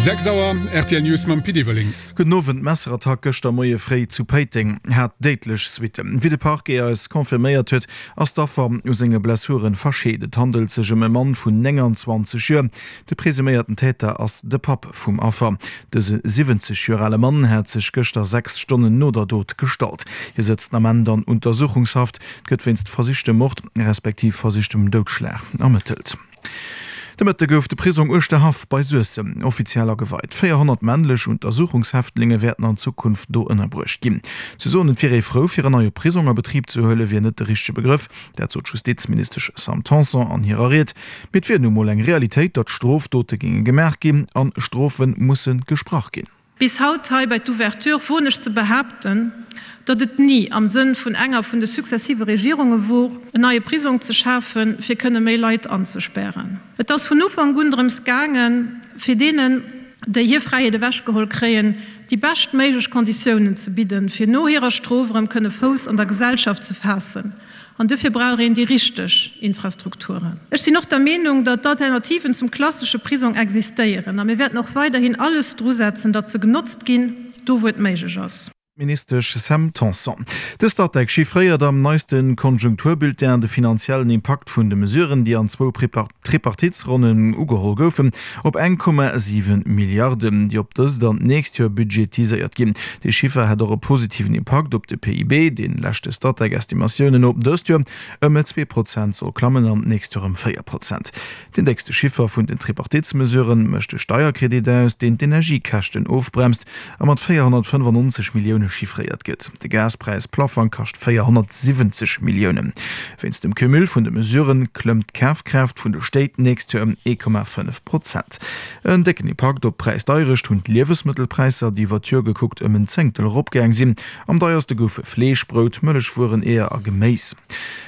6 Auer, rtl News mam Pit Everling. Gudden Owend, D'Messerattack gëschter Moie fréi zu Péiteng hat déidlech Suitten. Wéi de Parquet eis confirméiert huet, ass d'Affer u senge Blessuren verscheet. Et handelt sech ëm e Mann vun 29 Joer. De presuméierten Täter ass de Papp vum Affer. Dëse 70 Joer ale Mann hat sech gëschter 6 Stonnen no der Dot gestallt. Hie sëtzt den Ament an Untersuchungshaft. Et gëtt wéinst versichtem Mord respektiv versichtem Doudschlag ermëttelt. De Mëtte gouf de Prisong Uerschterhaff bei Suessem offiziell ageweit. 400 männlech Untersuchungshäftlinge wäerten an Zukunft do ënnerbruecht ginn. Ze soen, et wier ee frou, fir en neie Prisong a Betrib ze huelen, wier net de richtege Begrëff. Dat sot d'Justizministesch Sam Tanson an hirer Ried. Mee et wier nu mol eng Realitéit, datt Strofdote géinge gemaach ginn an Strofe musse gesprach ginn. Bis haut hei bei d'Ouverture woen ech ze behaapten, datt et ni am Sënn vun enger vun de successive Regierunge wor, en neie Prisong ze schafen, fir kënne méi Leit anzespären. Et ass vun Ufank un drëms gaangen, fir deenen, déi hir Fräiheet ewechgeholl kréien, déi beschtméiglech Konditiounen ze bidden, fir no hirer Strof erëm kënne Fouss an der Gesellschaft ze faassen. An duerfir brauch een déi richteg Infrastrukturen. Ech sinn och der Meenung, datt d'Alternativen zum klassesche Prisong existéieren a mir wäerten och weiderhin alles drusetzen, datt se genotzt ginn, do wou et méiglech ass. D'Ministesch Sam Tanson. De Statec chiffréiert am neiste Konjunkturbulletin de finanziellen Impakt vun de Mesuren, déi an zwou Tripartitsronnen ugeholl goufen, op 1,7 Milliarden, déi op dëst an d'nächst Joer budgetiséiert ginn. Dee Chiffer hätt och e positiven Impakt op de PIB, deen leschte Statec-Estimatiounen no dëst Joer ëm 2 Prozent soll klammen an d'nächst Joer ëm 4 Prozent. Deen déckste Chiffer vun den Tripartitsmesurë mécht de Steierkredit aus, deen d'Energiekäschten ofbremst a mat 495 Millioune chiffréiert gëtt. De Gaspräis-Plaffang kascht 470 Milliounen. Wéinst dem Cumul vun de Mesurë klëmmt d'Kafkraaft vun de Stéit d'nächst Joer ëm 1,5 Prozent. En décken Impakt op d'Präisdeierecht hunn d'Liewesmëttelpräisser, déi iwwer d'Joer gekuckt ëm en Zéngtel eropgaang sinn. Am deierste goufe Fleesch, Brout, Mëllechwueren, Eeër a Geméis.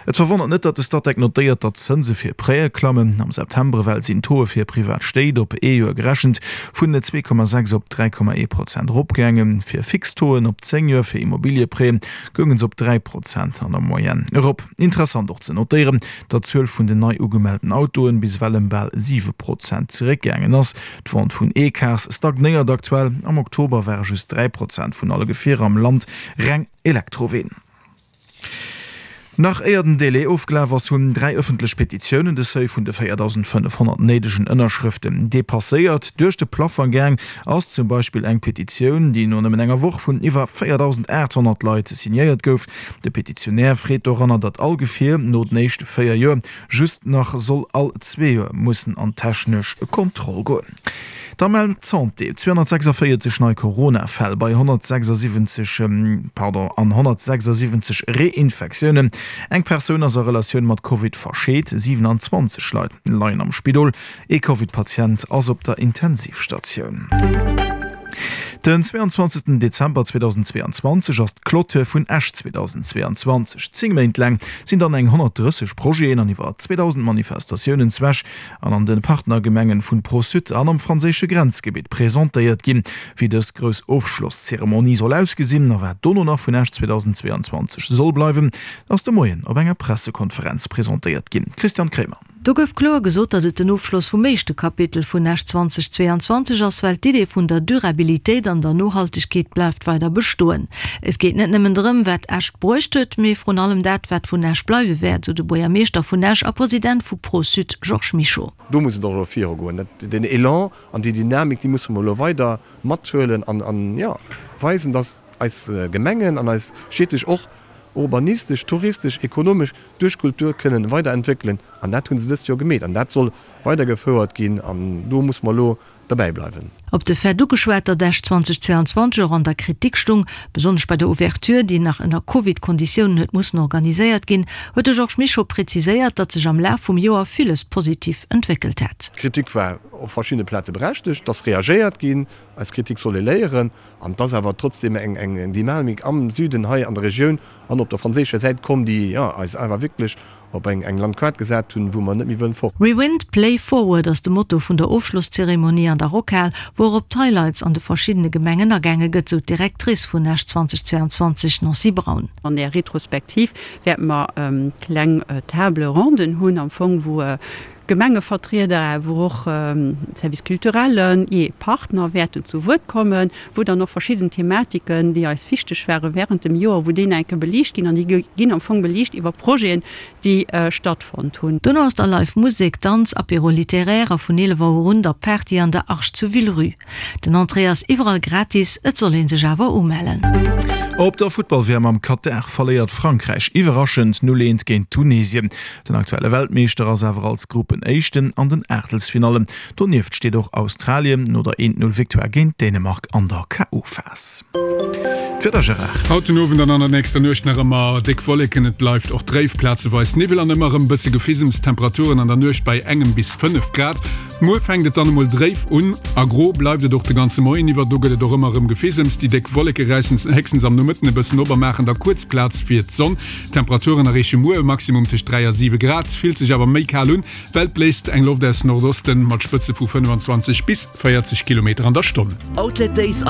Et verwonnert net, datt de Statec notéiert, datt d'Zënse fir Prêtë klammen. Am September ewell sinn d'Tauxe fir privat Stéit op ee Joer gerechent vun 2,6 op 3,1 Prozent eropgaangen. Fir fix Tauxen op 10 Joer fir Immobilieprêtë gounge se op 3 Prozent an der Moyenne erop. Interessant och ze notéieren, datt d'Zuel vun den nei ugemellten Autoen bis ewell ëm bal 7 Prozent zeréckgaangen ass. D'Vente vun E-Cars stagnéiert aktuell. Am Oktober ware just 3 Prozent vun alle Gefierer am Land reng Elektroween. Nach éier den Délai ofgelaf ass, hunn 3 ëffentlech Petitiounen de Seuil vun de 4.500 néidegen Ënnerschrëften depasséiert. Duerch de Plafang gaang ass zum Beispill eng Petitioun, déi no nëmmen enger Woch vun iwwer 4.800 Leit signéiert gouf. De Petitionär freet doranner, datt all Gefier no den éischte 4 Joer just nach soll all zwee Joer mussen an d'technesch Kontroll goen. Da mellt d'Santé 246 nei Corona-Fäll bei 176, pardon, an 176 Reinfektiounen. Eng Persoun ass a Relatioun mat Covid verscheet, 27 Leit leien am Spidol, ee Covid-Patient ass op der Intensivstatioun. Den 22 Dezember 2022 ass d'Clôture vun Esch 2022. 10 Méint laang sinn dann eng 130 Projeten an iwwer 2.000 Manifestatiounen zu Esch an an de Partnergemengen vun Pro-Sud an am franséische Grenzgebitt presentéiert ginn. Wéi dës grouss Ofschlosszeremonie soll ausgesinn a wat dono nach vun Esch 2022 soll bleiwen, ass de Moien op enger Pressekonferenz presentéiert ginn. Christiane Kremer. Do gouf kloer gesot, datt et den Ofschloss vum éischte Kapitel vun Esch 2022 ass, well d'Idee vun der Durabilitéit an der Nohaltegkeet bleift weider bestoen. Et geet net nëmmen drëm, wat Esch bruecht huet, mee vrun allem dat, wat vun Esch bleiwe wäert, sou de Buergermeeschter vun Esch a President vu Pro-Sud Georges Mischo. Do muss et och elo virugoen. Dat, deen Elan an déi Dynamik, déi musse mer elo weider mathuelen an, an, jo, weisen, datt eis Gemengen an eis Stied sech och urbanistesch, touristesch, ekonomesch duerch Kultur kënnen weiderentwéckelen an dat hu se dëst Joer gemeet an dat soll weidergefouert ginn an do muss mer elo derbäi bleiwen. Op de Fait ugeschwat, datt Esch 2022 och an der Kritik stung, besonnesch bei der Ouverture, déi nach ënner Covid-Konditiounen huet mussen organiséiert ginn, huet de Georges Mischo präziséiert, datt sech am Laf vum Joer villes positiv entwéckelt hätt. D'Kritik war op verschiddene Plaze berechtegt, et ass reagéiert ginn, aus Kritik soll ee léieren an et ass awer trotzdeem eng Dynamik am Süden hei an der Regioun an op der franséischer Säit komm, déi, jo, eis awer wierklech op eng eng Landkaart gesat hunn, wou mer net méi wëllen fort. Rewind, Play Forward ass de Motto vun der Ofschlosszeremonie an der Rockhal, wou och op d'Highlights an de verschiddene Gemengen agaange gëtt, sou d'Directrice vun Esch 2022, Nancy Braun. An där Retrospektiv wäerte mer kleng Table ronden hunn am Fong, wou. Gemengevertrieder, awer och Service culturellen, jee Partner wäerten zu Wuert kommen, wou dann och verschidden Thematiken, déi eis wichteg ware während dem Joer, wou déi nach eng Kéier beliicht ginn an déi ginn am Fong beliicht iwwer Projeten, déi stattfonnt hunn. Dono ass da live Musek, Danz, Apéro littéraire a vun 11 Auer un da Party an der Arche zu Villerue. Den Entrée ass iwwerall gratis, et soll een sech awer umellen. Op der Futtball-WM am Katar verléiert Frankräich iwwerraschend 0, 1 géint Tunesien. Den aktuelle Weltmeeschter ass awer als Gruppenéischten an den Aachtelsfinallen. Donieft steet och Australien no der 1, 0 Victoire géint Dänemark an der KO-Phas. D'Wieder, Gérard. Haut den Owend an an der nächster Nuecht nach ëmmer déck Wolleken, et bleift och dréif, plazeweis Niwwel an ëmmer erëm bësse Gefisems. Temperaturen an der Nuecht bei engem bis 5 Grad. Muer fänkt et dann emol dréif un a gro bleift et och de ganze Moien iwwer. Do gëtt et och ëmmer erëm Gefisems. Déi déck Wolleke räissen héchstens am Nomëtten e bëssen op a maachen da kuerz Plaz fir d'Sonn. D'Temperaturen erreeche muer e Maximum tëscht 3 a 7 Grad, fillt sech awer méi kal un, well et bléist eng Loft aus Nordosten mat Spëtze vu 25 bis 40 Kilometer an der Stonn. Outlet Days an.